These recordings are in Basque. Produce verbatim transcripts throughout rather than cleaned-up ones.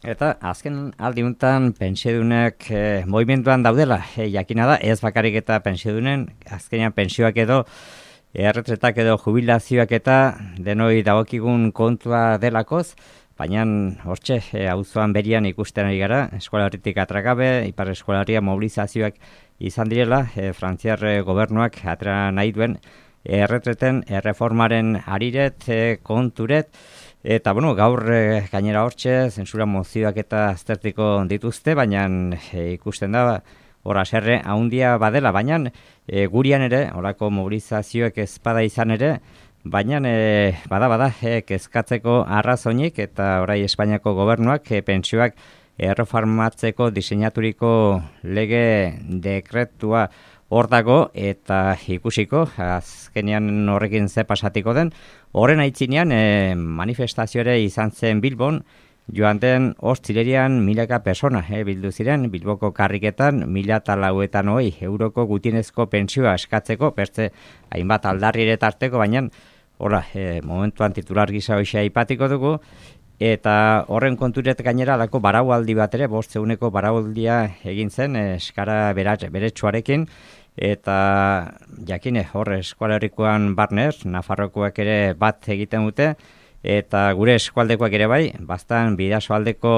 Eta azken aldiuntan pentsiodunek e, movimentuan daudela, e, jakina da, ez bakarrik eta pentsiodunen, azkenean pentsioak edo, erretretak edo jubilazioak eta denoi dagokigun kontua delakoz, baina hortxe, e, auzoan berian ikusten ari gara, eskualarritik atragabe, ipar eskualaria mobilizazioak izan direla, e, frantziar gobernuak atera nahi duen, erretreten, erreformaren ariret, e, konturet, eta, bueno, gaur e, gainera hortxe, zentsura mozioak eta aztertiko dituzte, baina e, ikusten da, hor aserre haundia badela, baina e, gurian ere, horako mobilizazioek ezpada izan ere, baina e, bada bada e, kezkatzeko arrazoinik, eta orai Espainiako gobernuak e, pentsioak erreformatzeko diseinaturiko lege dekretua hor dago, eta ikusiko, azkenean horrekin ze pasatiko den, horren aitzinean e, manifestazio ere izan zen Bilbon, joan den ostirerian milaka persona e, bildu ziren, Bilboko karriketan mila eta lauetan hoi euroko gutienezko pentsioa eskatzeko, bertze hainbat aldarri ere tarteko, baina hola, e, momentuan titular gisa hoxe aipatiko dugu, eta horren konturet gainera alako baraualdi bat ere, bost eguneko baraualdia egin zen, eskara beretsuarekin, eta jakine hor eskualerikoan barnez, Nafarrokoak ere bat egiten dute, eta gure eskualdekoak ere bai, bastan bidasoaldeko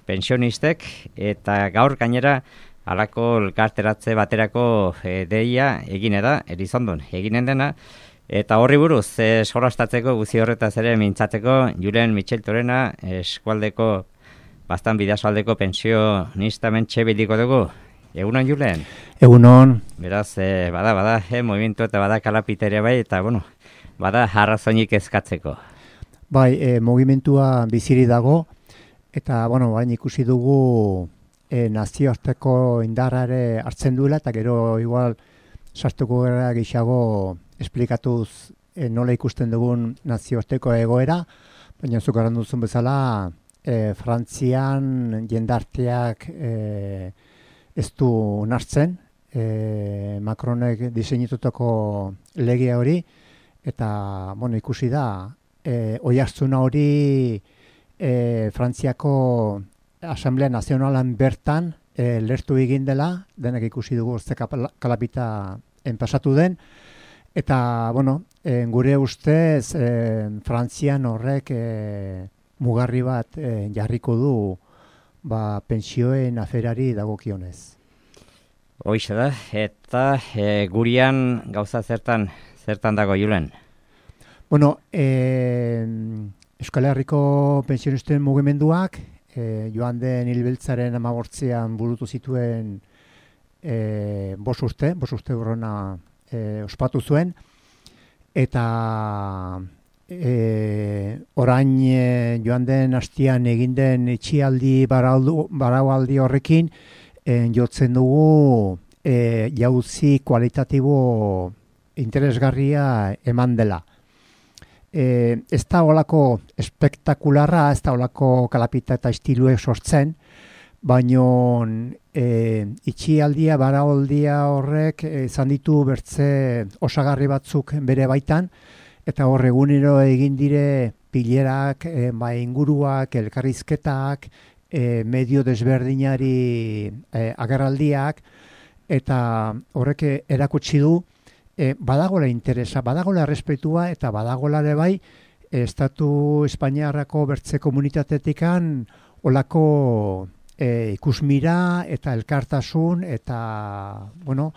pensionistek, eta gaur gainera alako elkarteratze baterako e, deia egine da, Elizondon eginen dena, eta horri buruz, e, solastatzeko guzi horretaz ere mintzatzeko, Julen Michel Torena, eskualdeko, bastan bidasoaldeko pensionista mentxe bildiko dugu. Egunon, Julen? Egunon. Beraz, e, bada, bada, e, movimentu eta bada kalapiteria bai, eta, bueno, bada arrazoinik ezkatzeko. Bai, e, movimentua biziri dago, eta, bueno, bain ikusi dugu e, nazioarteko indarrare hartzen duela, eta gero igual sartuko gara gixago esplikatuz e, nola ikusten dugun nazioarteko egoera, baina zuk eran duzun bezala, e, Frantzian jendarteak e, ez du nartzen, e, Macronek diseinitutako legea hori, eta, bueno, ikusi da, E, oihartzuna hori e, Frantziako Asamblea Nazionalan bertan e, lertu egin dela, denak ikusi dugu ze kalapita enpasatu den, eta, bueno, e, gure ustez e, Frantzian horrek e, mugarri bat e, jarriko du ba, pentsioen aferari dagokionez. Hoize da, eta e, gurian gauza zertan, zertan dago, Julen? Bueno, eh, Euskal Herriko pensionisten mugimenduak eh, joan den hilbiltzaren hamabortzian burutu zituen eh, bos urte, bos urte urrona eh, ospatu zuen, eta eh, orain eh, joan den hastian egin den itxialdi baraualdi horrekin eh, jotzen dugu eh, jauzi kualitatibo interesgarria eman dela. E, ez da olako espektakularra, ez da olako kalapita eta estiluek sortzen, baino e, itxialdia, baraualdia horrek izan ditu bertze osagarri batzuk bere baitan, eta hor egunero egin dire pilerak, e, ba, inguruak, elkarrizketak, e, medio desberdinari e, agerraldiak, eta horrek erakutsi du, E, badagola interesa, badagola errespetua eta badagola ere bai Estatu Espainiarrako bertze komunitatetikan olako e, ikusmira eta elkartasun eta bueno,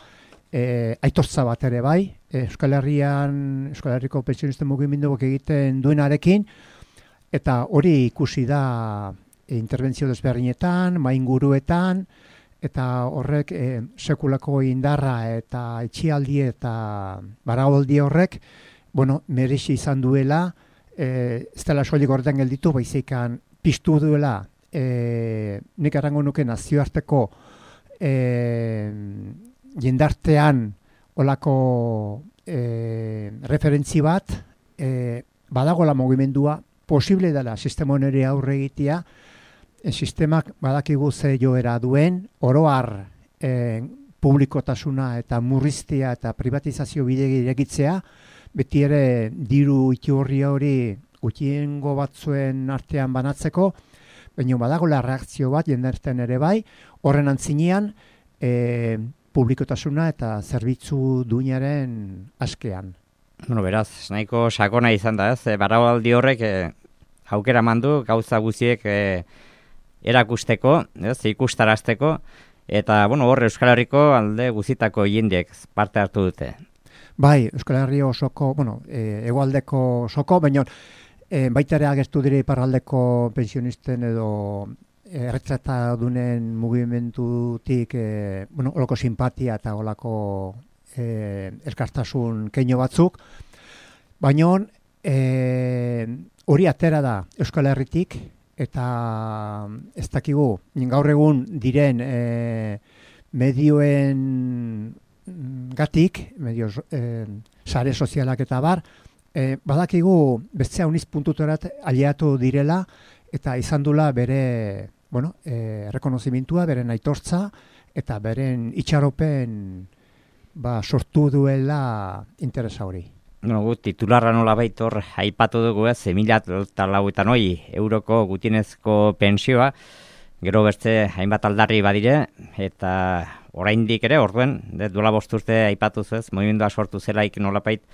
e, aitortza bat ere bai e, Euskal Herrian, Euskal Herriko pentsionisten mugimenduak egiten duenarekin, eta hori ikusi da e, interbentzio desberdinetan, mainguruetan, eta horrek e, sekulako indarra eta itxialdi eta baraualdi horrek, bueno, merezi izan duela, e, ez dela soilik horretan gelditu, baizikan piztu duela, e, nik errango nuke nazioarteko e, jendartean olako e, referentzi bat, e, badagola mugimendua, posible dela sistema honeri aurre egitea, E, sistemak badakigu ze joera duen, oroar e, publikotasuna eta murriztea eta privatizazio bide irekitzea, beti ere diru iturria hori gutxiengo batzuen artean banatzeko, baina badagoela reakzio bat jendarten ere bai, horren antzinean e, publikotasuna eta zerbitzu duinaren askean. Bueno, beraz, nahiko sakona izan da, ez? Baraualdi horrek e, aukera mandu gauza guziek e, erakusteko, ez? Ikustarazteko, eta, bueno, hor Euskal Herriko alde guzitako jendeek parte hartu dute. Bai, Euskal Herri osoko, bueno, e, hegoaldeko osoko, baina e, baita ere agertu dire iparraldeko pensionisten edo erretrata dunen mugimendutik, e, bueno, olako simpatia eta olako e, elkartasun keino batzuk, baina e, hori atera da Euskal Herritik, eta ez dakigu, gaur egun diren e, medioen gatik, medio e, sare sozialak eta bar, e, badakigu bestea uniz puntutorat aliatu direla, eta izan dula bere, bueno, e, rekonozimentua, beren aitortza, eta beren itxaropen ba, sortu duela interesa hori. No, gu, titularra nola baitor aipatu dugu ez, mila eta lauetan hoi euroko gutienezko pensioa, gero bertze hainbat aldarri badire, eta oraindik ere, orduen, de, duela bosturte aipatu ez, movimendua sortu zelaik nolapait,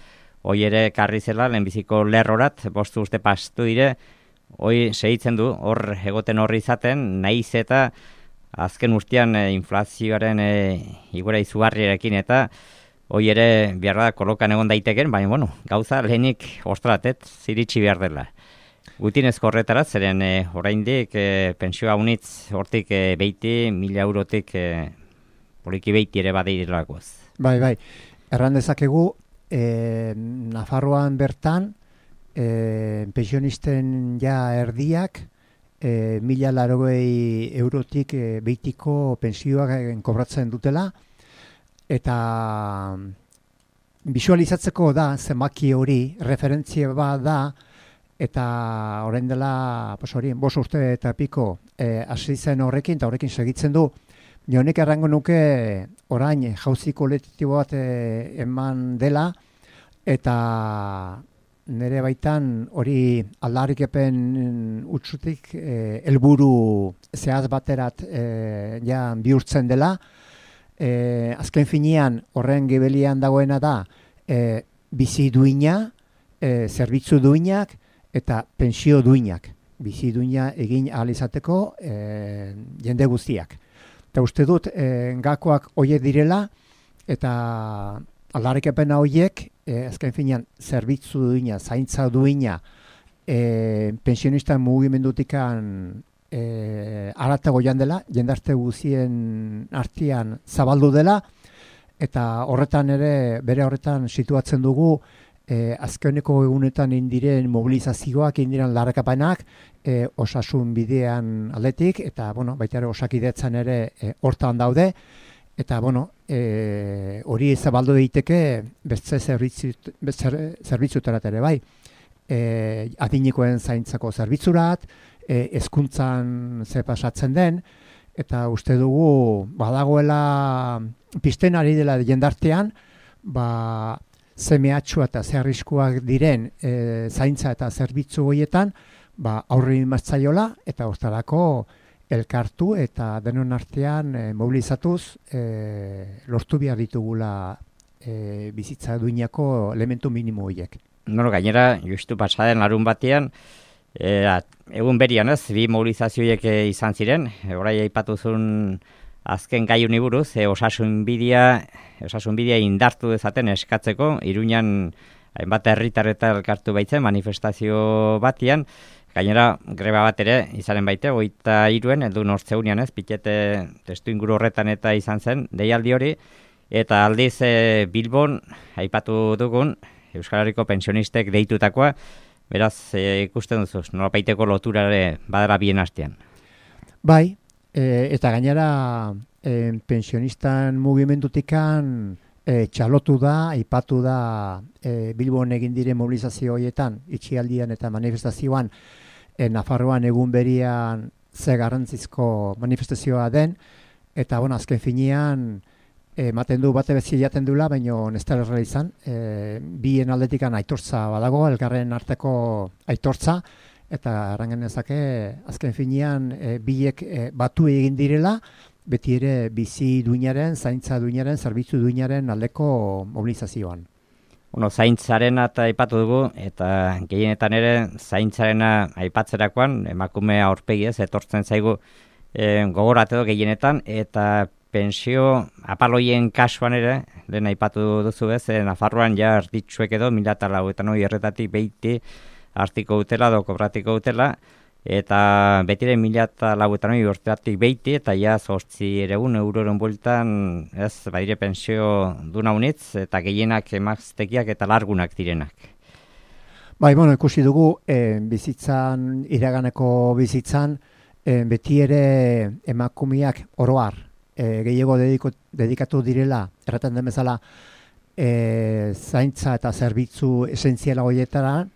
hoi ere karri zela, lehenbiziko lerrorat, bostu urte pastu dire, hoi segitzen du, hor egoten horri izaten, nahiz eta azken urtean e, inflazioaren e, igora izugarriarekin eta hoi ere behar da kolokan egon daiteken, baina bueno, gauza lehenik ostratet ziritsi behar dela. Gutienezko horretara, zeren e, oraindik e, pensioa unitz hortik e, beiti, mila eurotik e, poliki beiti ere badeirelakoz. Bai, bai, erran dezakegu, e, Nafarroan bertan, e, pensionisten ja erdiak, e, mila larogei eurotik e, beitiko pensioak kobratzen dutela, eta visualizatzeko da, zenbaki hori, referentzia bat da, eta orain dela, pues hori, bost urte eta piko e, hasi zen horrekin, eta horrekin segitzen du. Nionik errango nuke orain jauzi kolektibo bat e, eman dela, eta nire baitan hori aldarrikepen utzutik e, helburu zehaz baterat e, ja bihurtzen dela. E, azken finean horren gibelian dagoena da e, bizi duina, e, zerbitzu duinak eta pensio duinak. Bizi duina egin ahal izateko e, jende guztiak. Eta uste dut e, gakoak hoiek direla eta aldarrikepena hoiek e, azken finean zerbitzu duina, zaintza duina e, pensionistan mugimendutikan E, aratago joan dela, jendarte guzien artean zabaldu dela, eta horretan ere, bere horretan situatzen dugu, e, azkeneko egunetan indiren mobilizazioak, indiren larrakapanak, e, osasun bidean aldetik, eta bueno, baita ere osakidetzan ere e, hortan daude, eta bueno, e, hori zabaldu daiteke beste zerbitzuterat ere bai, e, adinikoen zaintzako zerbitzurat, E, hezkuntzan ze pasatzen den, eta uste dugu badagoela pizten ari dela jendartean, ba, ze mehatxua eta ze arriskuak diren e, zaintza eta zerbitzu horietan, ba, aurre imatzaiola eta hortarako elkartu eta denon artean e, mobilizatuz e, lortu behar ditugula e, bizitza duinako elementu minimo horiek. Bueno, gainera, justu pasaden larun batean, E, egun berian ez, bi mobilizazioiek e, izan ziren, e, orai aipatu zuen azken gai honi buruz, e, osasun bidea, osasun bidea indartu dezaten eskatzeko, Iruñan hainbat herritar eta elkartu baitzen manifestazio batian, gainera greba bat ere izanen baite, hogeita hiruen, heldu nortzeunean ez, pitete testu inguru horretan eta izan zen, deialdi hori, eta aldiz e, Bilbon aipatu dugun, Euskal Herriko pensionistek deitutakoa, beraz, e, ikusten duzuz, nolapaiteko loturare badara bien hastean. Bai, e, eta gainera e, pensionistan mugimendutikan e, txalotu da, aipatu da e, Bilbon egin dire mobilizazio horietan, itxialdian eta manifestazioan, e, Nafarroan egun berian ze garrantzizko manifestazioa den, eta bueno, azken finean, ematen du bate bezi jaten dula, baina ez da erra izan. E, bien aldetikan aitortza badago, elkarren arteko aitortza, eta errangen ezake azken finean e, biek e, batu egin direla, beti ere bizi duinaren, zaintza duinaren, zerbitzu duinaren aldeko mobilizazioan. Bueno, zaintzarena eta aipatu dugu, eta gehienetan ere zaintzarena aipatzerakoan, emakume aurpegi ez, etortzen zaigu e, gogoratu gehienetan, eta pensio apaloien kasuan ere, lehen aipatu duzu ez, e, Nafarroan ja arditxuek edo, mila eta lauetan hori erretatik behiti hartiko dutela, do kobratiko dutela, eta betire mila eta lauetan hori urteatik behiti, eta ja zortzi ere un euroren bueltan, ez, badire pensio duna unitz, eta gehienak emaztekiak eta largunak direnak. Bai, bueno, ikusi dugu, eh, bizitzan, iraganeko bizitzan, eh, beti ere emakumeak oroar, eh, gehiago dediko, dedikatu direla, erraten den bezala, eh, zaintza eta zerbitzu esentziala horietaran,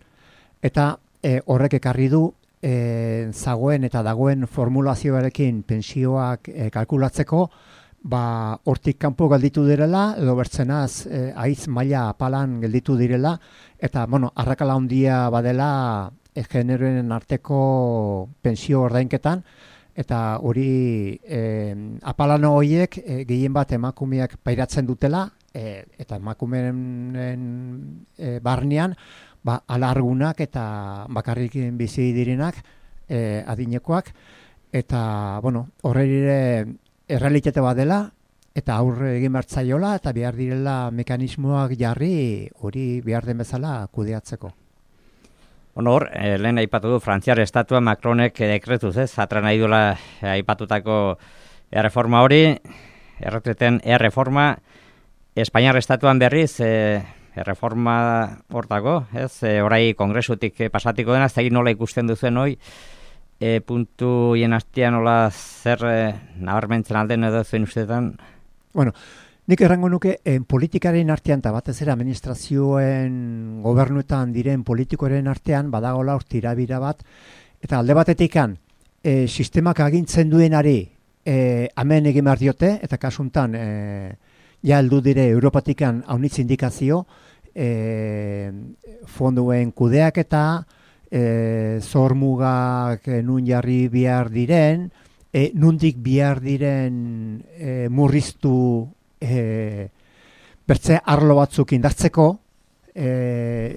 eta eh, horrek ekarri du, E, zagoen eta dagoen formulazioarekin pensioak e, kalkulatzeko, ba, hortik kanpo gelditu direla, edo bertzenaz e, aiz maila apalan gelditu direla, eta, bueno, arrakala handia badela e, generoen arteko pensio ordainketan, eta hori e, apalano horiek e, gehien bat emakumeak pairatzen dutela, e, eta emakumeen e, barnean, ba, alargunak eta bakarrik bizi direnak, eh, adinekoak, eta, bueno, horre errealitate bat dela, eta aurre egin bertzaiola, eta behar direla mekanismoak jarri, hori behar den bezala kudeatzeko. Bueno, hor, eh, lehen aipatu du, Frantziar estatua Macronek dekretuz, ez? Atra nahi duela aipatutako erreforma hori, erretreten erreforma, Espainiar estatuan berriz, eh, erreforma hortako, ez? E, orai kongresutik e, pasatiko dena, ez da nola ikusten duzen hoi, e, puntu hien hastian nola zer e, nabarmentzen alden edo zuen ustetan? Bueno, nik errango nuke, en politikaren artean, eta batez ere administrazioen gobernuetan diren politikoren artean, badagola hor tirabira bat, eta alde batetikan, e, sistemak agintzen duenari, e, amen egin behar diote, eta kasuntan, e, ja heldu dire Europatikan haunitz indikazio, e, fonduen kudeaketa, e, zormugak e, nun jarri bihar diren, e, nundik bihar diren e, murriztu e, bertze arlo batzuk indartzeko, e,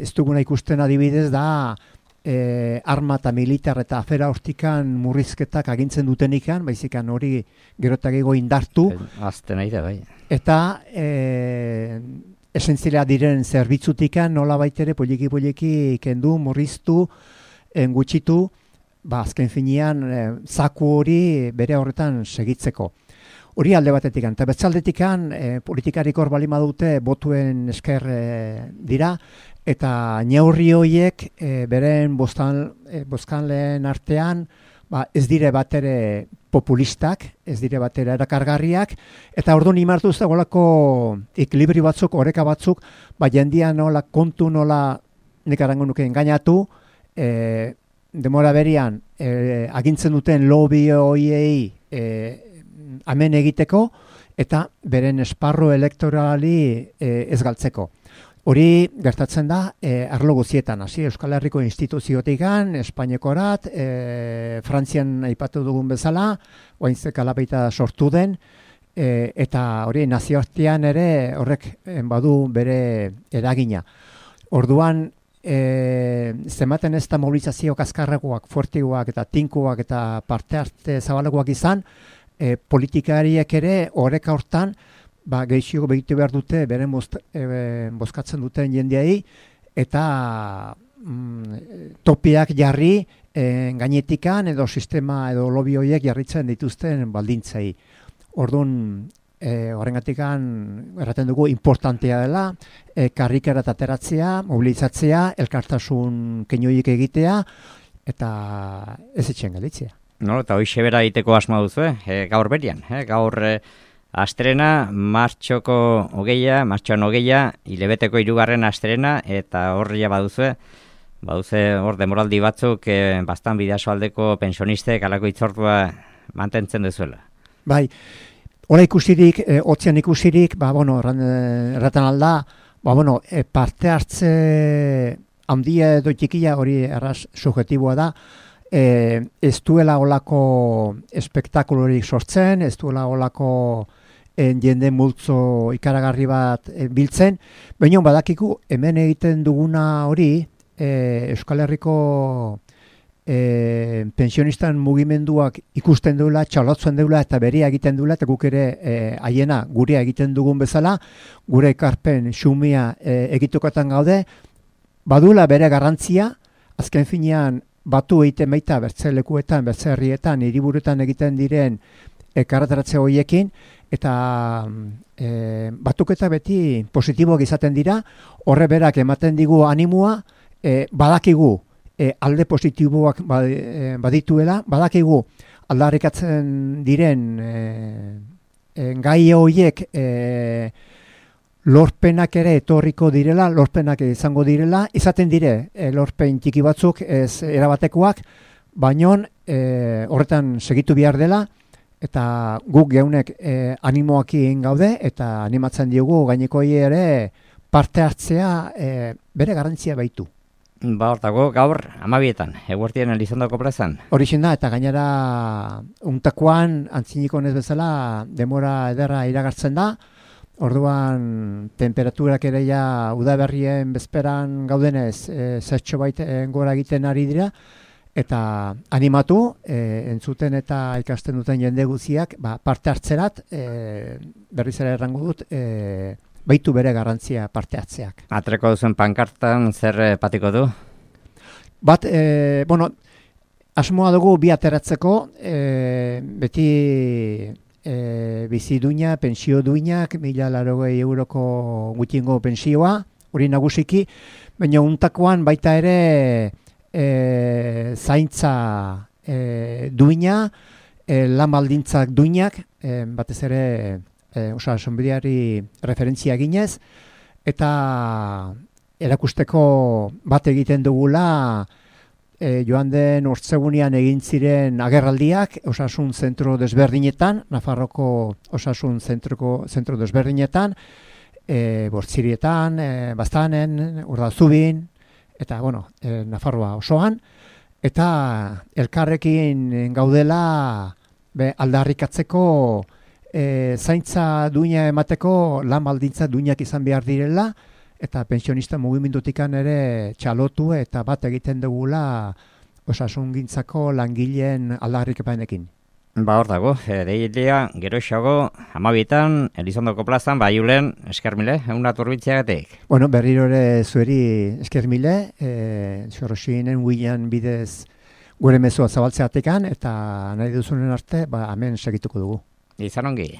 ez duguna ikusten adibidez da, E, arma eta militar eta afera hortikan murrizketak agintzen dutenikan, baizikan hori gerotagego indartu. Azten nahi da, bai. Eta e, esentzilea diren zerbitzutikan nola baitere poliki-poliki kendu, murriztu, engutxitu, ba, azken finean e, zaku hori bere horretan segitzeko. Hori alde batetik, eta betzaldetikan e, politikarik hor bali madute botuen esker e, dira, eta neurri horiek e, beren bostan, e, boskanleen artean ba, ez dire batere populistak, ez dire batere erakargarriak, eta orduan imartu ez dagoelako ekilibri batzuk, oreka batzuk, ba, jendia nola kontu nola nik arango nuke engainatu, e, demora berian e, agintzen duten lobby horiei e, amen egiteko, eta beren esparru elektorali e, ez galtzeko. Hori gertatzen da e, arlo guzietan, hasi Euskal Herriko instituziotikan, Espainiakorat, e, Frantzian aipatu dugun bezala, oainzek alapeita sortu den, e, eta hori nazioartean ere horrek badu bere eragina. Orduan, e, zematen ez da mobilizazio kaskarrekoak, fuertiguak eta tinkuak eta parte arte zabalagoak izan, e, politikariek ere horrek hortan, ba, gehiago begitu behar dute, beren bost, e, bozkatzen duten jendeai, eta mm, topiak jarri e, gainetikan edo sistema edo lobby horiek jarritzen dituzten baldintzai. Orduan, e, horrengatikan erraten dugu importantea dela, e, karrikera eta ateratzea, mobilizatzea, elkartasun keinoiek egitea, eta ez etxen galitzea. No, eta hoxe bera egiteko asma duzu, eh? gaur berian, eh? gaur... Eh... Astrena, martxoko hogeia, martxoan hogeia, hilebeteko hirugarren astrena, eta horria baduzue, baduzue hor demoraldi batzuk, e, bastan bidaso aldeko pensionistek alako itzortua mantentzen duzuela. Bai, hori ikusirik, e, otzian ikusirik, ba, bueno, erraten alda, ba, bueno, e, parte hartze handia edo txikia hori erraz subjetiboa da, e, ez duela olako espektakulorik sortzen, ez duela olako en jende multzo ikaragarri bat e, biltzen, baina badakiku hemen egiten duguna hori e, Euskal Herriko e, pensionistan mugimenduak ikusten duela, txalotzen duela eta berea egiten duela, eta guk ere e, haiena gurea egiten dugun bezala, gure ekarpen xumia e, egitukotan gaude, badula bere garrantzia, azken finean batu egiten baita bertze lekuetan, bertze herrietan, hiriburuetan egiten diren e, karrataratze horiekin, eta e, batuketa beti positiboak izaten dira, horre berak ematen digu animua, e, badakigu e, alde positiboak badituela, badakigu aldarrikatzen diren e, e, gai horiek e, lorpenak ere etorriko direla, lorpenak izango direla, izaten dire e, lorpen txiki batzuk ez erabatekoak, baino e, horretan segitu behar dela, eta guk geunek e, animoak egin gaude, eta animatzen diogu gaineko ere parte hartzea e, bere garrantzia baitu. Ba, hortako gaur amabietan, eguertien Elizondoko plazan. Horixen da, eta gainera untakoan antziniko ez bezala demora ederra iragartzen da, orduan temperaturak ere ja udaberrien bezperan gaudenez e, zertxo baiten gora egiten ari dira, eta animatu, e, entzuten eta ikasten duten jende guziak, ba, parte hartzerat, e, berriz ere errango dut, e, baitu bere garrantzia parte hartzeak. Atreko duzen pankartan zer e, patiko du? Bat, e, bueno, asmoa dugu bi ateratzeko, e, beti e, bizi duina, pensio duinak, mila larogei euroko gutxingo pensioa, hori nagusiki, baina untakoan baita ere E, zaintza e, duina, e, lan baldintzak duinak, e, batez ere e, osa sonbideari referentzia ginez, eta erakusteko bat egiten dugula e, joan den ortzegunean egin ziren agerraldiak osasun zentro desberdinetan, Nafarroko osasun zentroko zentro desberdinetan, e, Bortzirietan, e, Baztanen, Urdazubin, eta, bueno, e, Nafarroa osoan, eta elkarrekin gaudela be, aldarrikatzeko e, zaintza duina emateko lan baldintza duinak izan behar direla, eta pensionista mugimendutikan ere txalotu eta bat egiten dugula osasungintzako langileen aldarrikapenekin. Ba, hor dago, e, deilia, gero esago, amabietan, Elizondoko plazan, ba, julen, eskermile, egun aturbitziagatik. Bueno, berriro ere zueri eskermile, e, xorroxinen huilan bidez gure mezua zabaltzeatekan, eta nahi duzunen arte, ba, hemen segituko dugu. Izan ongi.